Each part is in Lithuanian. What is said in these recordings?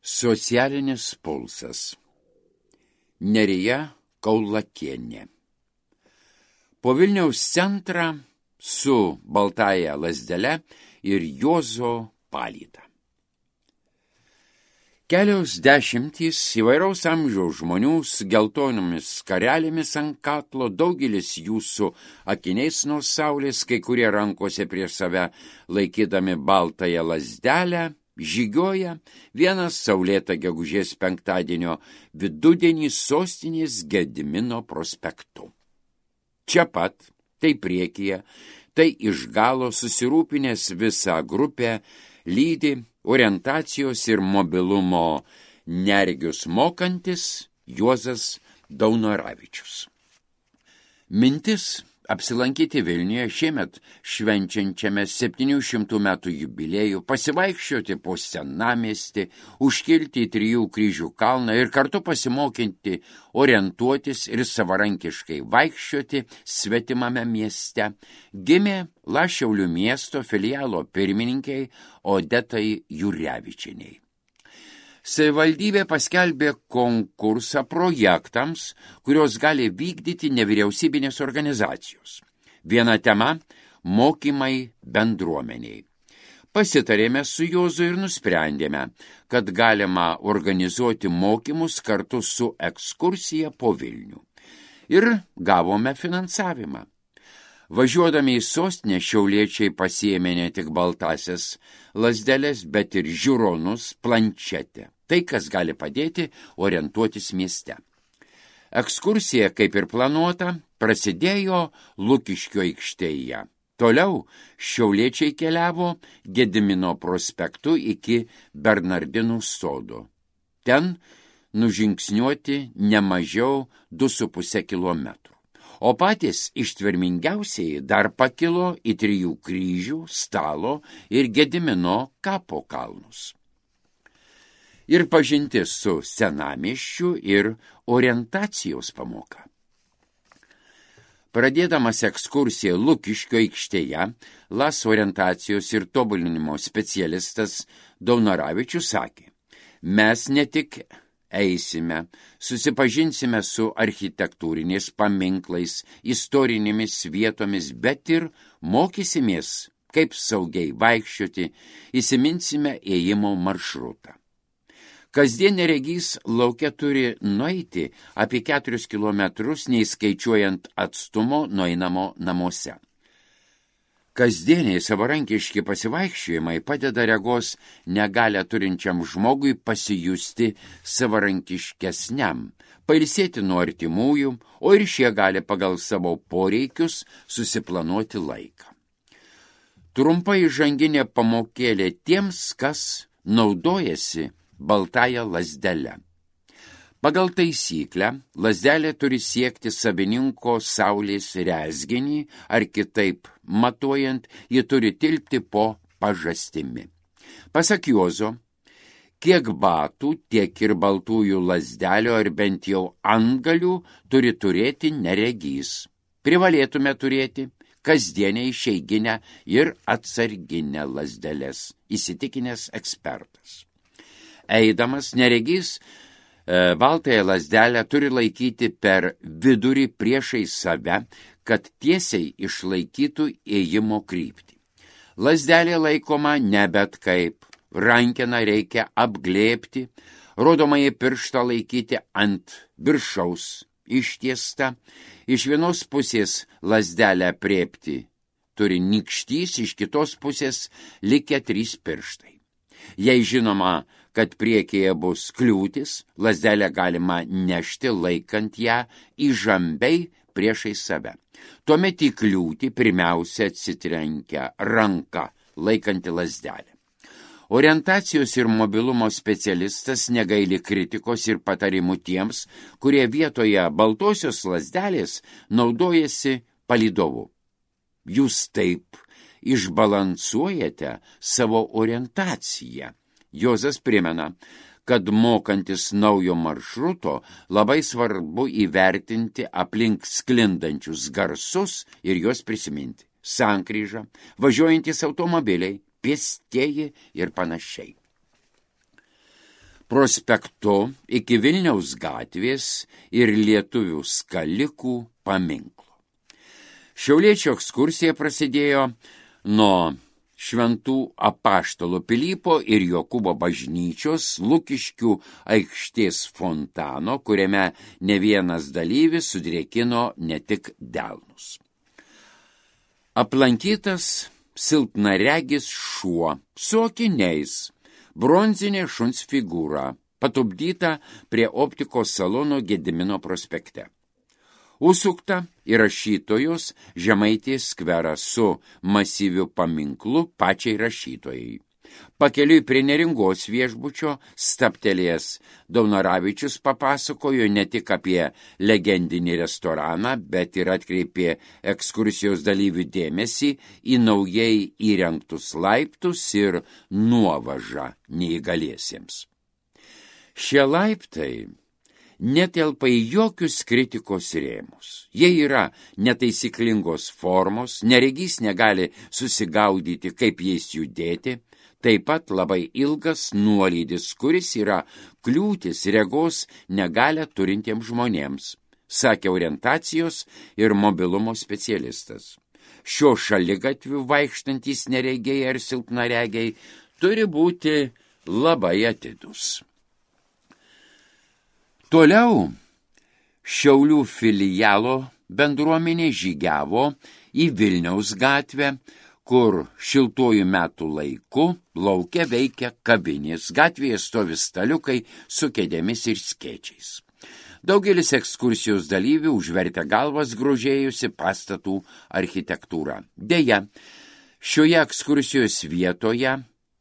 Socialinis pulsas. Nerija Kaulakienė. Po Vilniaus centrą su baltąja lazdele ir Juozo palyda. Kelios dešimtys įvairaus amžiaus žmonių su geltonomis skarelėmis ant kaklo, daugelis jų su akiniais nuo saulės, kai kurie rankose prieš save laikydami baltąją lazdelę, žygioja vienas saulėtą gegužės penktadienio vidudienį sostinės Gedimino prospektu. Čia pat, tai priekyje, tai iš galo susirūpinęs visą grupę lydi orientacijos ir mobilumo neregius mokantis Juozas Daunoravičius. Mintis apsilankyti Vilniuje šiemet švenčiančiame 700 metų jubiliejų, pasivaikščioti po senamiestį, užkilti į 3 kryžių kalną ir kartu pasimokinti orientuotis ir savarankiškai vaikščioti svetimame mieste, gimė Šiaulių miesto filialo pirmininkiai Odetai Jurevičieniai. Savivaldybė paskelbė konkursą projektams, kurios gali vykdyti nevyriausybinės organizacijos. Viena tema – mokymai bendruomeniai. Pasitarėme su Juozu ir nusprendėme, kad galima organizuoti mokymus kartu su ekskursija po Vilnių. Ir gavome finansavimą. Važiuodami į sostinę šiauliečiai pasiėmė ne tik baltasias lazdeles, bet ir žiūronus, planšetę. Tai, kas gali padėti orientuotis mieste. Ekskursija, kaip ir planuota, prasidėjo Lukiškių aikštėje. Toliau šiauliečiai keliavo Gedimino prospektu iki Bernardinų sodo. Ten nužingsniuoti ne mažiau 2,5 kilometrų. O patys ištvermingiausiai dar pakilo į 3 kryžių, Stalo ir Gedimino kapo kalnus. Ir pažintis su senamiesčiu ir orientacijos pamoka. Pradėdamas ekskursiją Lukiškio aikštėje, LAS orientacijos ir tobulinimo specialistas Daunoravičius sakė, mes ne tik eisime, susipažinsime su architektūriniais paminklais, istorinėmis vietomis, bet ir mokysimės, kaip saugiai vaikščioti, įsiminsime ėjimo maršrutą. Kasdien neregys lauke turi nueiti apie 4 kilometrus, neįskaičiuojant atstumo nueinamo namuose. Kasdieniai savarankiški pasivaikščiojimai padeda regos negalią turinčiam žmogui pasijusti savarankiškesniam, pailsėti nuo artimųjų, o ir šie gali pagal savo poreikius susiplanuoti laiką. Trumpa įžanginė pamokėlė tiems, kas naudojasi baltąją lazdelę. Pagal taisyklę, lazdelė turi siekti savininko saulės rezginį, ar kitaip matuojant, ji turi tilpti po pažastimi. Pasak Juozo, kiek batų, tiek ir baltųjų lazdelių ar bent jau antgalių turi turėti neregys. Privalėtume turėti kasdienę išeiginę ir atsarginę lazdeles, įsitikinęs ekspertas. Eidamas neregys baltąją lazdelę turi laikyti per vidurį priešai save, kad tiesiai išlaikytų ėjimo kryptį. Lazdelė laikoma ne bet kaip, rankeną reikia apglėbti, rodomąjį pirštą laikyti ant viršaus ištiesta, iš vienos pusės lazdelę aprėpti turi nykštys, iš kitos pusės likę 3 pirštai. Jei žinoma, kad priekyje bus kliūtis, lazdelę galima nešti laikant ją įžambiai priešai save. Tuomet į kliūtį pirmiausia atsitrenkia ranka laikanti lazdelę. Orientacijos ir mobilumo specialistas negaili kritikos ir patarimų tiems, kurie vietoje baltosios lazdelės naudojasi palydovu. Jūs taip išbalansuojate savo orientaciją. Juozas primena, kad mokantis naujo maršruto labai svarbu įvertinti aplink sklindančius garsus ir juos prisiminti. Sankryža, važiuojantis automobiliai, pėstieji ir panašiai. prospektu iki Vilniaus gatvės ir lietuvių skalikų paminklo. Šiauliečio ekskursija prasidėjo nuo Šventų Apaštalų Pilypo ir Jokūbo bažnyčios Lukiškių aikštės fontano, kuriame ne vienas dalyvis sudrėkino ne tik delnus. Aplankytas silpnaregis šuo su akiniais, bronzinė šuns figūra, patupdyta prie optikos salono Gedimino prospekte. Užsukta į rašytojos Žemaitės skverą su masyviu paminklu pačiai rašytojai. Pakeliui prie Neringos viešbučio stabtelėjęs Daunoravičius papasakojo ne tik apie legendinį restoraną, bet ir atkreipė ekskursijos dalyvių dėmesį į naujai įrengtus laiptus ir nuovažą neįgaliesiems. Šie laiptai netelpa į jokius kritikos rėmus. Jie yra netaisyklingos formos, neregys negali susigaudyti, kaip jais judėti, taip pat labai ilgas nuolydis, kuris yra kliūtis regos negalią turintiems žmonėms, sakė orientacijos ir mobilumo specialistas. Šio šaligatviu vaikštantys neregiai ar silpnaregiai turi būti labai atidus. Toliau Šiaulių filialo bendruomenė žygiavo į Vilniaus gatvę, kur šiltuoju metų laiku lauke veikia kavinės, gatvėje stovi staliukai su kėdėmis ir skėčiais. Daugelis ekskursijos dalyvių užvertė galvas grožėjusi pastatų architektūrą. Deja, šioje ekskursijos vietoje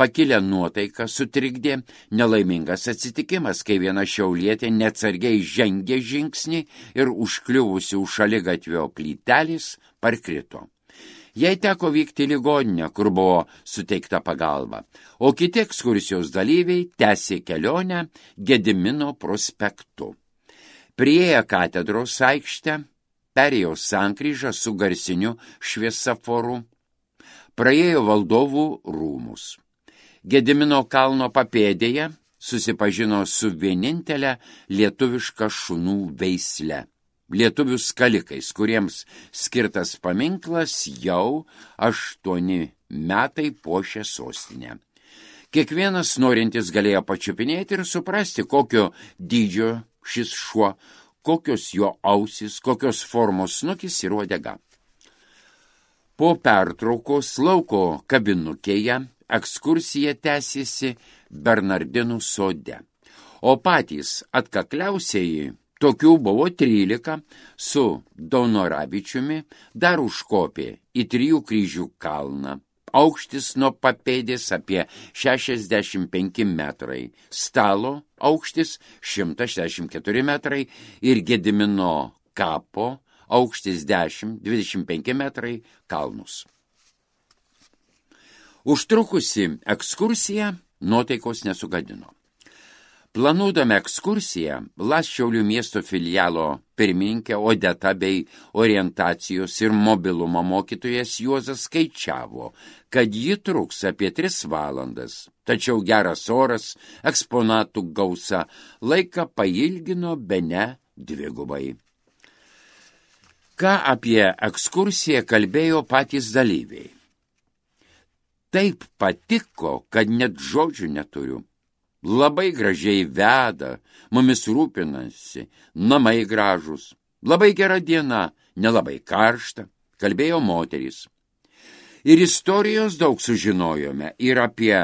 pakilę nuotaiką sutrikdė nelaimingas atsitikimas, kai viena šiaulietė neatsargiai žengė žingsnį ir užkliuvusi už šaligatvio plytelės parkrito. Jai teko vykti į ligoninę, kur buvo suteikta pagalba, o kiti ekskursijos dalyviai tęsė kelionę Gedimino prospektu. Priėję katedros aikštę, perėjo sankryžą su garsiniu šviesaforu, praėjo Valdovų rūmus. Gedimino kalno papėdėje susipažino su vienintelė lietuviška šunų veisle. Lietuvių skalikais, kuriems skirtas paminklas jau 8 metai puošia sostinę. Kiekvienas norintis galėjo pačiupinėti ir suprasti, kokio dydžio šis šuo, kokios jo ausys, kokios formos snukis ir uodega. Po pertraukos lauko kabinukėje ekskursija tęsėsi Bernardinų sode, o patys atkakliausieji, tokių buvo 13, su Daunoravičiumi dar užkopė į 3 kryžių kalną. Aukštis nuo papėdės apie 65 metrai, stalo aukštis 164 metrai ir Gedimino kapo aukštis 10-25 metrai kalnus. Užtrukusi ekskursija nuotaikos nesugadino. Planuodama ekskursiją, Šiaulių miesto filialo pirmininkė Odeta bei orientacijos ir mobilumo mokytojas Juozas skaičiavo, kad ji truks apie 3 valandas, tačiau geras oras, eksponatų gausa laiką pailgino bene 2. Ką apie ekskursiją kalbėjo patys dalyviai? Taip patiko, kad net žodžių neturiu. Labai gražiai veda, mumis rūpinasi, namai gražus, labai gera diena, nelabai karšta, kalbėjo moterys. Ir istorijos daug sužinojome, ir apie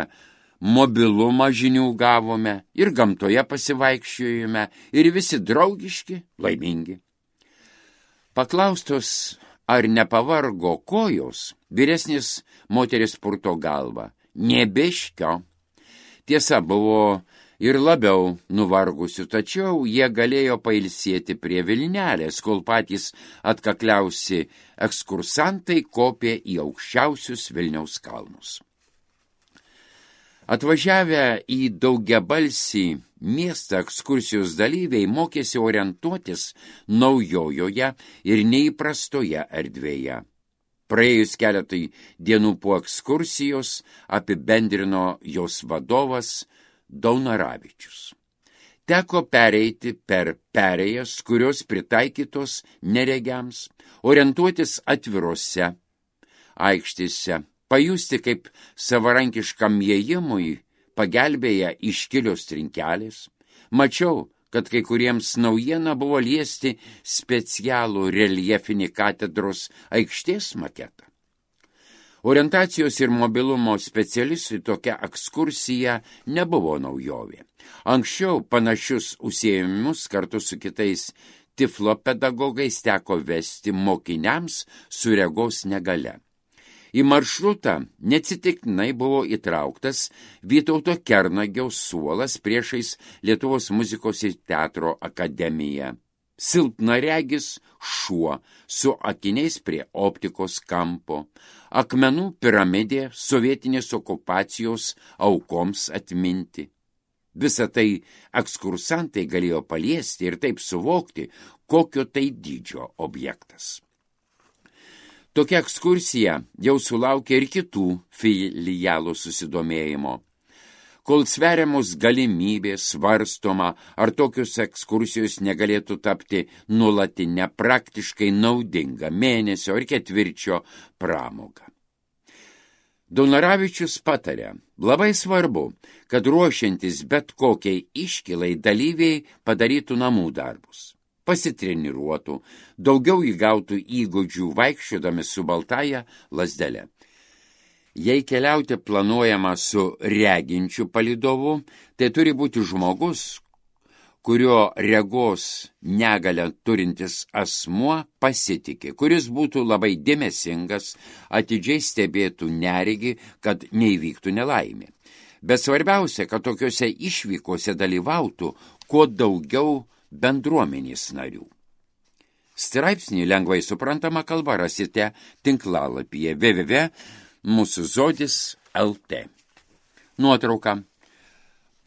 mobilumą žinių gavome, ir gamtoje pasivaikščiojome, ir visi draugiški, laimingi. Paklaustos, ar nepavargo kojos, vyresnis moteris purto galvą, nebiškio. Tiesa, buvo ir labiau nuvargusių, tačiau jie galėjo pailsėti prie Vilnelės, kol patys atkakliausi ekskursantai kopė į aukščiausius Vilniaus kalnus. Atvažiavę į daugiabalsį miestą ekskursijos dalyviai mokėsi orientuotis naujojoje ir neįprastoje erdvėje. Praėjus keletai dienų po ekskursijos apibendrino jos vadovas Daunoravičius. Teko pereiti per perėjas, kurios pritaikytos neregiams, orientuotis atvirose aikštėse, pajusti, kaip savarankiškam įėjimui pagelbėja iškilios trinkelės. Mačiau, kad kai kuriems naujiena buvo liesti specialų reljefinį katedros aikštės maketą. Orientacijos ir mobilumo specialistui tokia ekskursija nebuvo naujovė. Anksčiau panašius užsiėmimus kartu su kitais tiflo pedagogais teko vesti mokiniams su regos negale. Į maršrutą neatsitiktinai buvo įtrauktas Vytauto Kernagio suolas priešais Lietuvos muzikos ir teatro akademiją. Silpnaregis šuo su akiniais prie optikos kampo, akmenų piramidė sovietinės okupacijos aukoms atminti. Visą tai ekskursantai galėjo paliesti ir taip suvokti, kokio tai dydžio objektas. Tokia ekskursija jau sulaukė ir kitų filialų susidomėjimo. Kol sveriamos galimybės svarstoma, ar tokios ekskursijos negalėtų tapti nuolatinę praktiškai naudingą mėnesio ir ketvirčio pramogą. Daunoravičius patarė, labai svarbu, kad ruošiantis bet kokiai iškilai dalyviai padarytų namų darbus, pasitreniruotų, daugiau įgautų įgūdžių vaikščiodami su baltaja lazdele. Jei keliauti planuojama su reginčiu palydovu, tai turi būti žmogus, kurio regos negalią turintis asmuo pasitiki, kuris būtų labai dėmesingas, atidžiai stebėtų neregį, kad neįvyktų nelaimė. Bet svarbiausia, kad tokiuose išvykose dalyvautų kuo daugiau bendruomenės narių. Straipsnį lengvai suprantama kalba rasite tinklalapyje www.mūsuzodis.lt. Nuotrauka.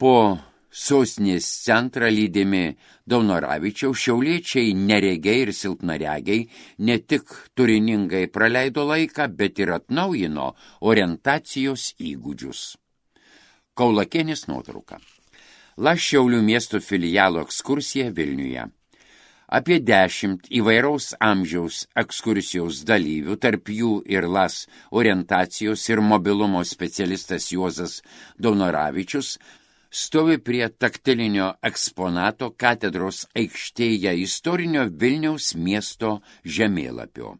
Po sostinės centrą lydimi Daunoravičiaus šiauliečiai neregiai ir silpnaregiai ne tik turiningai praleido laiką, bet ir atnaujino orientacijos įgūdžius. Kaulakienės nuotrauka. Šiaulių miesto filialo ekskursija Vilniuje. Apie 10 įvairaus amžiaus ekskursijos dalyvių, tarp jų ir orientacijos ir mobilumo specialistas Juozas Daunoravičius, stovi prie taktilinio eksponato katedros aikštėje istorinio Vilniaus miesto žemėlapio.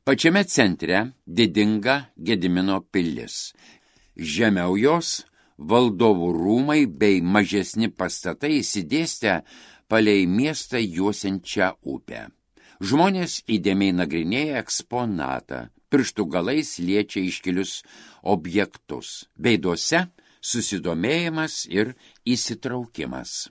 Pačiame centre didinga Gedimino pilis. Žemiau jos valdovų rūmai bei mažesni pastatai išsidėstę palei miestą juosiančią upę. Žmonės įdėmiai nagrinėja eksponatą, pirštų galais liečia iškilius objektus, veiduose susidomėjimas ir įsitraukimas.